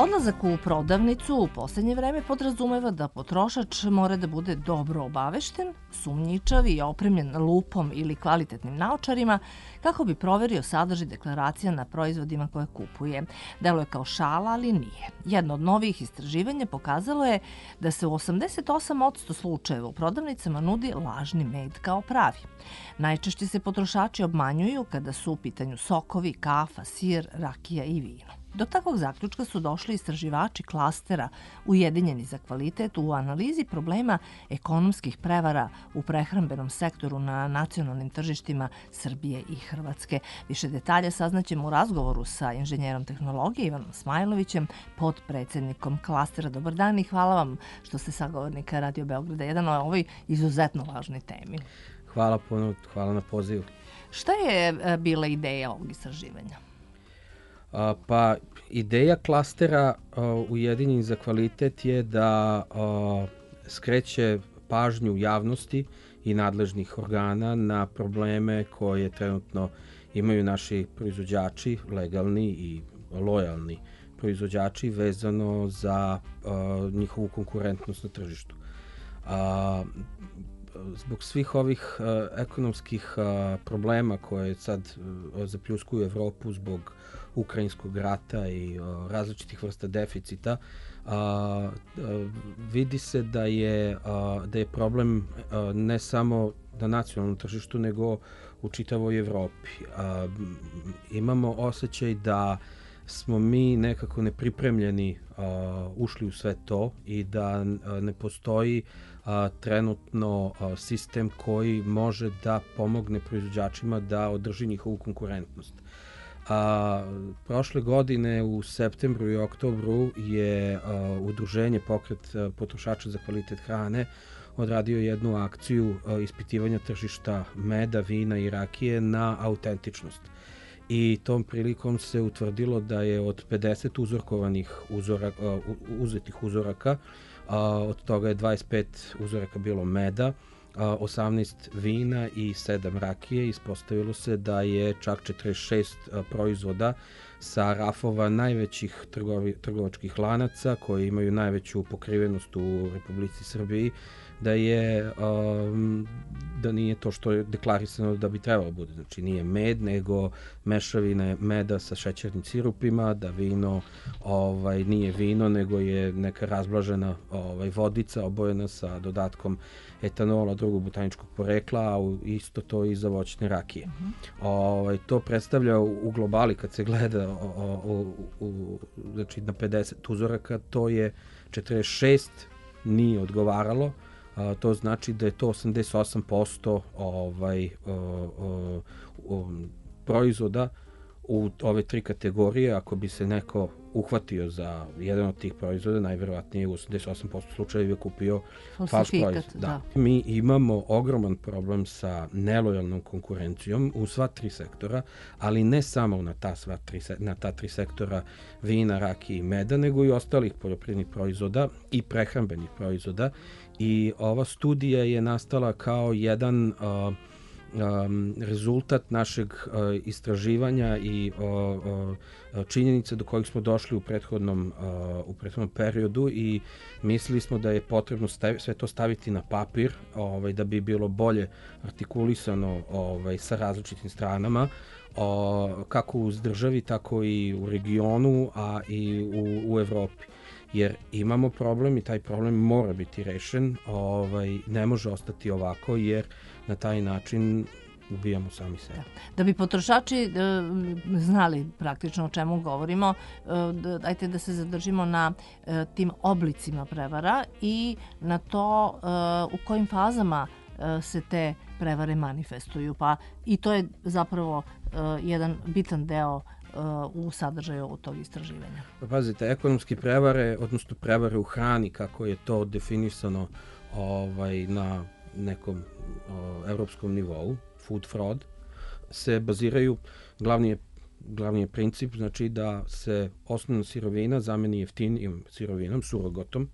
Odlazak u prodavnicu u posljednje vreme podrazumeva da potrošač mora da bude dobro obavešten, sumnjičav i opremljen lupom ili kvalitetnim naočarima kako bi proverio sadržaj deklaracija na proizvodima koje kupuje. Deluje kao šala, ali nije. Jedno od novih istraživanja pokazalo je da se u 88% slučajeva u prodavnicama nudi lažni med kao pravi. Najčešće se potrošači obmanjuju kada su u pitanju sokovi, kafa, sir, rakija i vino. Do takvog zaključka su došli istraživači klastera Ujedinjeni za kvalitet u analizi problema ekonomskih prevara u prehrambenom sektoru na nacionalnim tržištima Srbije i Hrvatske. Više detalje saznaćemo u razgovoru sa inženjerom tehnologije Ivanom Smajlovićem, podpredsednikom klastera. Dobar dan i hvala vam što ste sagovornika Radio Beograda 1 o ovoj izuzetno važnoj temi. Hvala puno, hvala na pozivu. Šta je bila ideja ovog istraživanja? Pa ideja klastera Ujedinjeni za kvalitet je da skreće pažnju javnosti i nadležnih organa na probleme koje trenutno imaju naši proizvođači, legalni i lojalni proizvođači, vezano za njihovu konkurentnost na tržištu. Zbog svih ovih ekonomskih problema koje sad zapljuskuju Evropu zbog ukrajinskog rata i različitih vrsta deficita, vidi se da je problem ne samo na nacionalnom tržištu, nego u čitavoj Evropi. Imamo osjećaj da smo mi nekako nepripremljeni ušli u sve to i da ne postoji trenutno sistem koji može da pomogne proizvođačima da održi njihovu konkurentnost. Prošle godine u septembru i oktobru je udruženje Pokret potrošača za kvalitet hrane odradio jednu akciju ispitivanja tržišta meda, vina i rakije na autentičnost. I tom prilikom se utvrdilo da je od 50 uzetih uzoraka, od toga je 25 uzoraka bilo meda, 18 vina i 7 rakije. Ispostavilo se da je čak 46 proizvoda sa rafova najvećih trgovačkih lanaca koji imaju najveću pokrivenost u Republici Srbiji, da nije to što je deklarisano da bi trebalo bude. Znači nije med, nego mešavine meda sa šećernim sirupima, da vino nije vino, nego je neka razblažena vodica obojena sa dodatkom etanola drugog botaničkog porekla, a isto to i za voćne rakije. To predstavlja u globali, kad se gleda znači na 50 uzoraka, to je 46 nije odgovaralo. To znači da je to 88% proizvoda u ove tri kategorije. Ako bi se neko uhvatio za jedan od tih proizvoda, najverovatnije u 88% slučajeva kupio falš proizvod. Da. Mi imamo ogroman problem sa nelojalnom konkurencijom u sva tri sektora, ali ne samo na ta tri sektora vina, rakije i meda, nego i ostalih poljoprivrednih proizvoda i prehrambenih proizvoda. I ova studija je nastala kao jedan rezultat našeg istraživanja i činjenica do kojih smo došli u prethodnom periodu i mislili smo da je potrebno sve to staviti na papir da bi bilo bolje artikulisano sa različitim stranama, kako u državi, tako i u regionu, a i u Evropi. Jer imamo problem i taj problem mora biti rešen, ne može ostati ovako, jer na taj način ubijamo sami sebe. Da bi potrošači znali praktično o čemu govorimo, dajte da se zadržimo na tim oblicima prevara i na to u kojim fazama se te prevare manifestuju. Pa i to je zapravo jedan bitan deo u sadržaju ovog tog istraživanja. Pa pazite, ekonomske prevare, odnosno prevare u hrani, kako je to definisano na nekom evropskom nivou, food fraud, se baziraju, glavni je princip, znači da se osnovna sirovina zameni jeftinijom sirovinom, surogotom,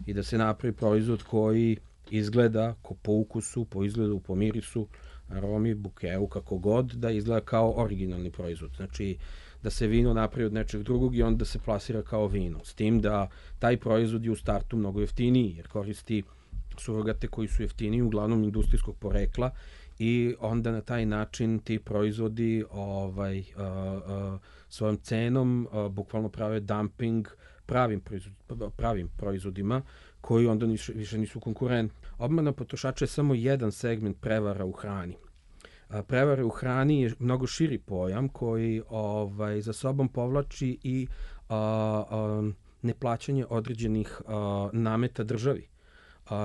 i da se napravi proizvod koji izgleda po ukusu, po izgledu, po mirisu, aromi, bukeu, kako god, da izgleda kao originalni proizvod. Znači da se vino napravi od nečeg drugog i onda se plasira kao vino. S tim da taj proizvod je u startu mnogo jeftiniji, jer koristi surogate koji su jeftiniji, uglavnom industrijskog porekla, i onda na taj način ti proizvodi svojom cenom bukvalno prave dumping pravim proizvodima koji onda više nisu konkurentni. Obmana potrošača je samo jedan segment prevara u hrani. Prevara u hrani je mnogo širi pojam koji za sobom povlači i neplaćanje određenih nameta državi.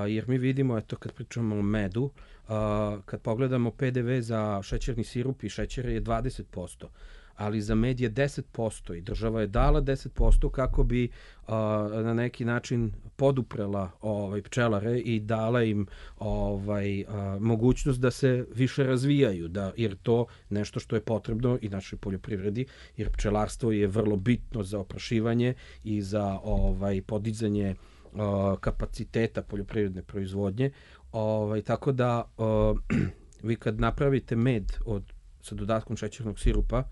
Jer mi vidimo, eto, kad pričamo o medu, kad pogledamo PDV za šećerni sirup i šećere je 20%, ali za med je 10% i država je dala 10% kako bi na neki način poduprela pčelare i dala im mogućnost da se više razvijaju, jer to nešto što je potrebno i našoj poljoprivredi, jer pčelarstvo je vrlo bitno za oprašivanje i za podizanje kapaciteta poljoprivredne proizvodnje. Tako da vi kad napravite med sa dodatkom šećernog sirupa,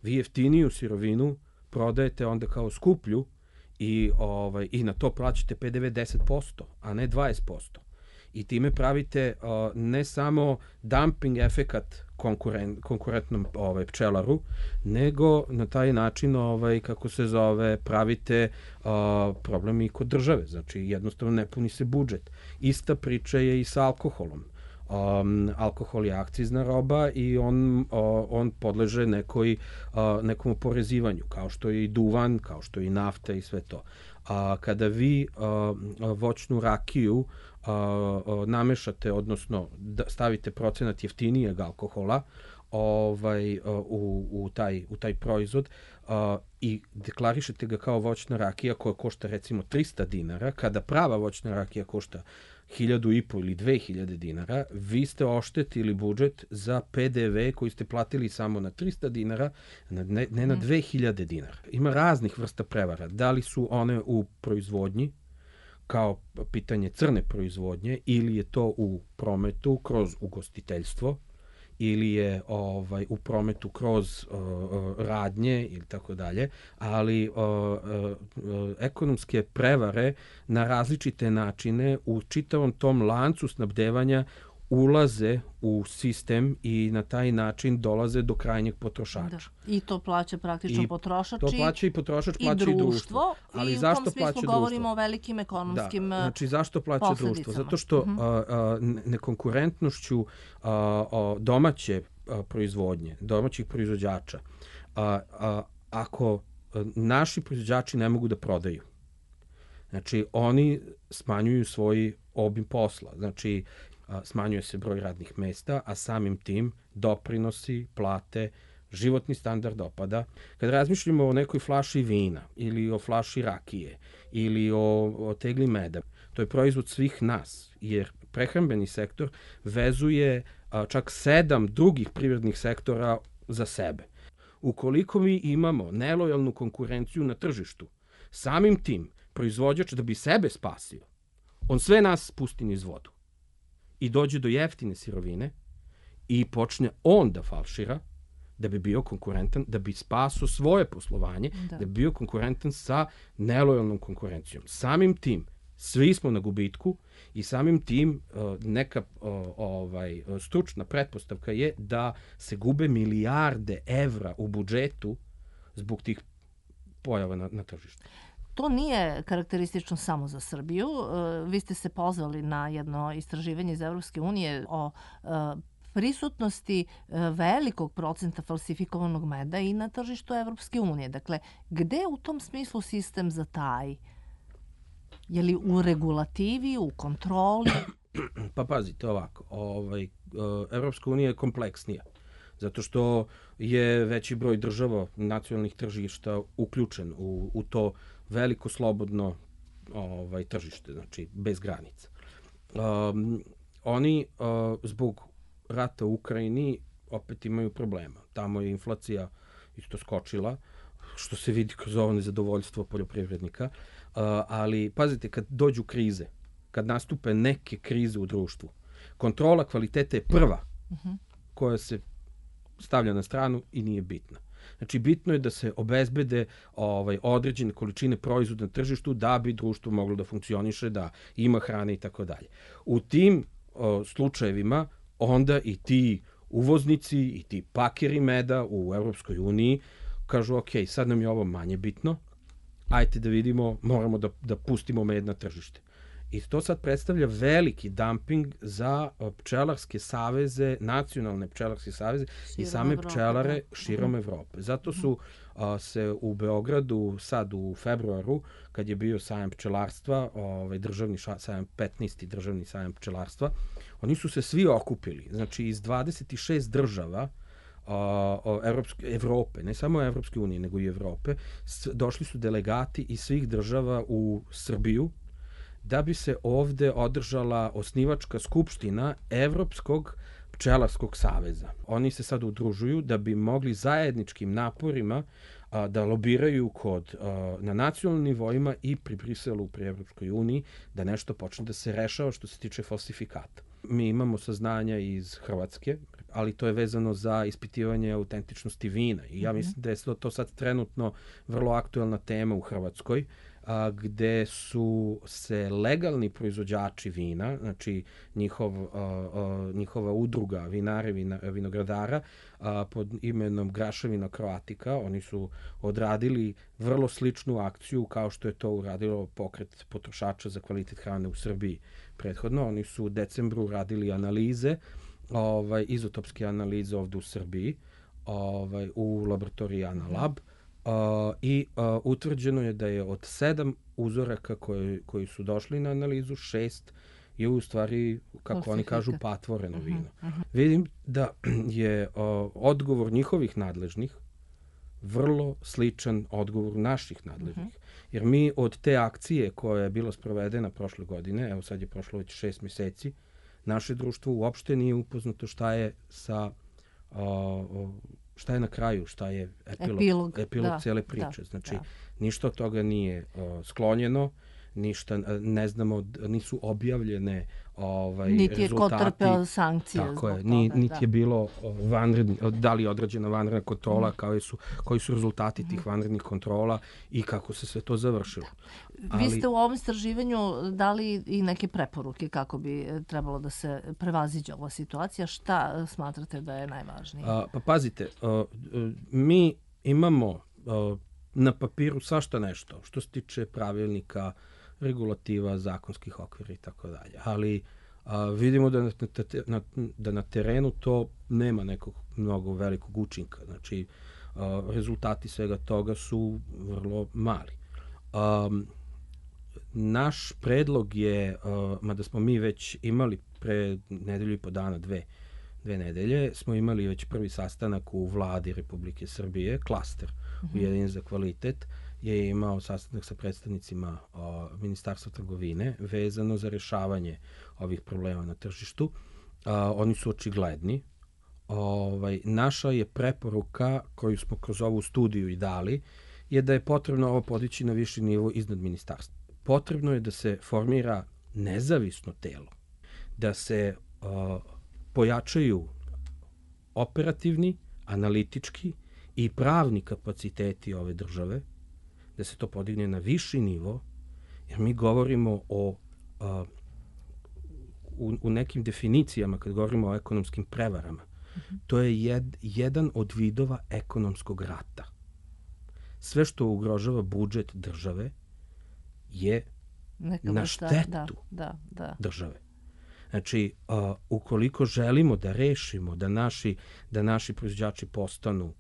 vi jeftiniju sirovinu prodajete onda kao skuplju i na to plaćate PDV 10%, a ne 20%. I time pravite ne samo dumping efekat konkurentnom pčelaru, nego na taj način, pravite problem i kod države. Znači, jednostavno ne puni se budžet. Ista priča je i sa alkoholom. Alkohol je akcizna roba i on podleže nekom oporezivanju, kao što je i duvan, kao što je i nafta i sve to. Kada vi voćnu rakiju namešate, odnosno stavite procenat jeftinijeg alkohola u taj proizvod i deklarišete ga kao voćna rakija koja košta recimo 300 dinara, kada prava voćna rakija košta 1.500 ili 2.000 dinara, vi ste oštetili budžet za PDV koji ste platili samo na 300 dinara, ne na 2.000 dinara. Ima raznih vrsta prevara. Da li su one u proizvodnji, kao pitanje crne proizvodnje, ili je to u prometu kroz ugostiteljstvo, ili je u prometu kroz radnje ili tako dalje, ali ekonomske prevare na različite načine u čitavom tom lancu snabdevanja ulaze u sistem i na taj način dolaze do krajnjeg potrošača. Da. I to plaća praktično potrošač to plaća i potrošač, plaća i društvo. Ali zašto u tom smislu govorimo o velikim ekonomskim posledicama. Znači, zašto plaća društvo? Zato što nekonkurentnošću domaće proizvodnje, domaćih proizvođača, ako naši proizvođači ne mogu da prodaju, znači oni smanjuju svoj obim posla. Znači, smanjuje se broj radnih mesta, a samim tim doprinosi, plate, životni standard opada. Kad razmišljamo o nekoj flaši vina ili o flaši rakije ili o tegli meda, to je proizvod svih nas, jer prehrambeni sektor vezuje čak 7 drugih privrednih sektora za sebe. Ukoliko mi imamo nelojalnu konkurenciju na tržištu, samim tim proizvođač da bi sebe spasio, on sve nas spusti niz vodu i dođe do jeftine sirovine i počne on da falšira da bi bio konkurentan, da bi spasao svoje poslovanje, da bi bio konkurentan sa nelojalnom konkurencijom. Samim tim, svi smo na gubitku i samim tim neka stručna pretpostavka je da se gube milijarde evra u budžetu zbog tih pojava na tržištu. To nije karakteristično samo za Srbiju. Vi ste se pozvali na jedno istraživanje iz Evropske unije o prisutnosti velikog procenta falsifikovanog meda i na tržištu Evropske unije. Dakle, gde u tom smislu sistem zataji? Je li u regulativi, u kontroli? Pa pazite ovako, Evropska unija je kompleksnija, zato što je veći broj država nacionalnih tržišta uključen u to veliko slobodno tržište, znači bez granica. Oni zbog rata u Ukrajini opet imaju problema. Tamo je inflacija isto skočila, što se vidi kroz ovo nezadovoljstvo poljoprivrednika, ali pazite, kad dođu krize, kad nastupe neke krize u društvu, kontrola kvaliteta je prva koja se stavlja na stranu i nije bitna. Znači, bitno je da se obezbede određene količine proizvoda na tržištu da bi društvo moglo da funkcioniše, da ima hrane i tako dalje. U tim slučajevima onda i ti uvoznici i ti pakeri meda u Evropskoj uniji kažu, ok, sad nam je ovo manje bitno, ajte da vidimo, moramo da pustimo med na tržište. I to sad predstavlja veliki dumping za pčelarske saveze, nacionalne pčelarske saveze i same pčelare širom Evrope. Zato su se u Beogradu sad u februaru, kad je bio sajam pčelarstva, državni sajam, 15. državni sajam pčelarstva, oni su se svi okupili. Znači, iz 26 država Evrope, ne samo Evropske unije, nego i Evrope, došli su delegati iz svih država u Srbiju, da bi se ovde održala osnivačka skupština Evropskog pčelarskog saveza. Oni se sad udružuju da bi mogli zajedničkim naporima da lobiraju na nacionalnim nivoima i pri Briselu, pri Evropskoj uniji, da nešto počne da se rešava što se tiče falsifikata. Mi imamo saznanja iz Hrvatske, ali to je vezano za ispitivanje autentičnosti vina. I ja mislim da je to sad trenutno vrlo aktuelna tema u Hrvatskoj, gde su se legalni proizvođači vina, znači njihova udruga vinara, vinogradara pod imenom Graševina Kroatika, oni su odradili vrlo sličnu akciju kao što je to uradilo pokret potrošača za kvalitet hrane u Srbiji prethodno. Oni su u decembru radili analize, izotopske analize ovde u Srbiji, u laboratoriji Analab, i utvrđeno je da je od 7 uzoraka koji su došli na analizu, 6 je u stvari, kako oni kažu, patvoreno vino. Vidim da je odgovor njihovih nadležnih vrlo sličan odgovor naših nadležnih. Jer mi od te akcije koja je bila sprovedena prošle godine, evo sad je prošlo već 6 meseci, naše društvo uopšte nije upoznato šta je šta je na kraju, šta je epilog cele priče. Znači, ništa od toga nije sklonjeno, ništa, ne znamo, nisu objavljene rezultati. Niti je ko trpeo sankcije. Tako je, niti je bilo da li je određena vanredna kontrola, koji su rezultati tih vanrednih kontrola i kako se sve to završilo. Vi ste u ovom istraživanju dali i neke preporuke kako bi trebalo da se prevaziđe ova situacija. Šta smatrate da je najvažnije? Pa pazite, mi imamo na papiru svašta nešto što se tiče pravilnika, regulativa, zakonskih okvira i tako dalje. Ali vidimo da na terenu to nema nekog mnogo velikog učinka. Znači, rezultati svega toga su vrlo mali. Naš predlog je, mada smo mi već imali pre nedelju i po dana, dve nedelje, smo imali već prvi sastanak u vladi Republike Srbije, klaster Ujedinjen za kvalitet, je imao sastanak sa predstavnicima Ministarstva trgovine vezano za rešavanje ovih problema na tržištu. Oni su očigledni. Naša je preporuka koju smo kroz ovu studiju i dali je da je potrebno ovo podići na viši nivo iznad ministarstva. Potrebno je da se formira nezavisno telo, da se pojačaju operativni, analitički i pravni kapaciteti ove države, da se to podigne na viši nivo, jer mi govorimo u nekim definicijama, kad govorimo o ekonomskim prevarama, to je jedan od vidova ekonomskog rata. Sve što ugrožava budžet države je na štetu države. Znači, ukoliko želimo da rešimo da naši proizvođači postanu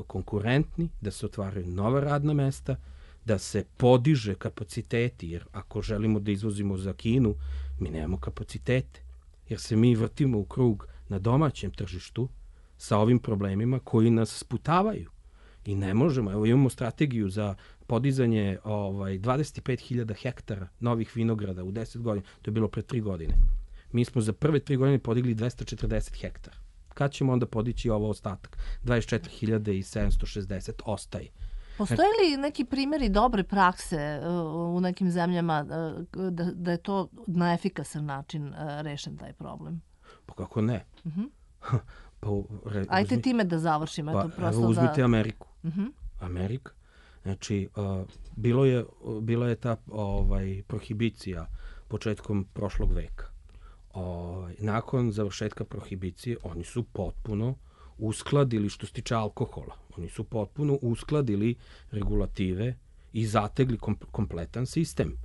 konkurentni, da se otvaraju nova radna mesta, da se podiže kapaciteti, jer ako želimo da izvozimo za Kinu, mi nemamo kapacitete, jer se mi vrtimo u krug na domaćem tržištu sa ovim problemima koji nas sputavaju. I ne možemo, evo imamo strategiju za podizanje 25.000 hektara novih vinograda u 10 godina, to je bilo pre 3 godine. Mi smo za prve 3 godine podigli 240 hektara. Kad ćemo onda podići ovo ostatak? 24.760 ostaje. Postoje li neki primjeri dobre prakse u nekim zemljama da je to na efikasan način rešen taj problem? Pa kako ne? Ajde time da završimo. Uzmite Ameriku. Amerika. Znači, bila je ta prohibicija početkom prošlog veka. Nakon završetka prohibicije oni su potpuno uskladili, što se tiče alkohola, oni su potpuno uskladili regulative i zategli kompletan sistem.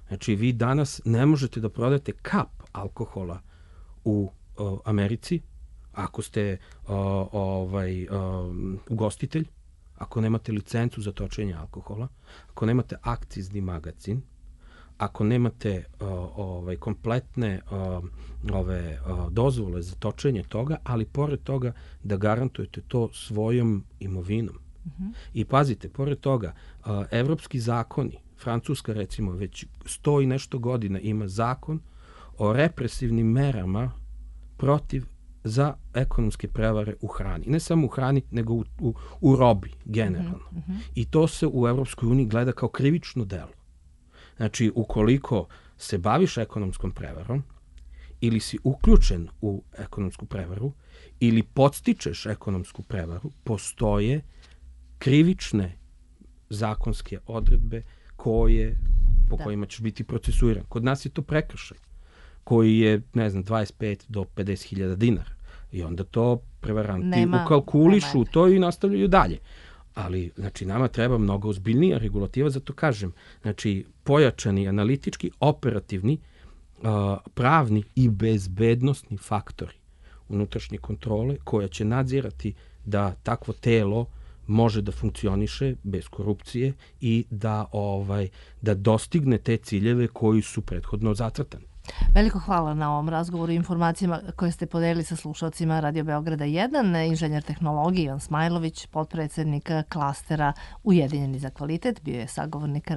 Znači, vi danas ne možete da prodate kap alkohola u Americi ako ste ugostitelj, ako nemate licencu za točenje alkohola, ako nemate akcizni magacin, ako nemate kompletne dozvole za točenje toga, ali pored toga da garantujete to svojom imovinom. I pazite, pored toga, evropski zakoni, Francuska recimo već 100 i nešto godina ima zakon o represivnim merama protiv za ekonomske prevare u hrani. Ne samo u hrani, nego u robi, generalno. I to se u Evropskoj uniji gleda kao krivično delo. Znači, ukoliko se baviš ekonomskom prevarom, ili si uključen u ekonomsku prevaru, ili podstičeš ekonomsku prevaru, postoje krivične zakonske odredbe po kojima ćeš biti procesuiran. Kod nas je to prekršaj, koji je, 25 do 50.000 dinara. I onda to prevaranti ukalkulišu to i nastavljaju dalje. Ali, znači, nama treba mnogo ozbiljnija regulativa, zato kažem, znači, pojačani analitički, operativni, pravni i bezbednosni faktori unutrašnje kontrole koja će nadzirati da takvo telo može da funkcioniše bez korupcije i da dostigne te ciljeve koji su prethodno zacrtani. Veliko hvala na ovom razgovoru i informacijama koje ste podelili sa slušalcima Radio Beograda 1. Inženjer tehnologije Ivan Smajlović, potpredsednik klastera Ujedinjeni za kvalitet, bio je sagovornik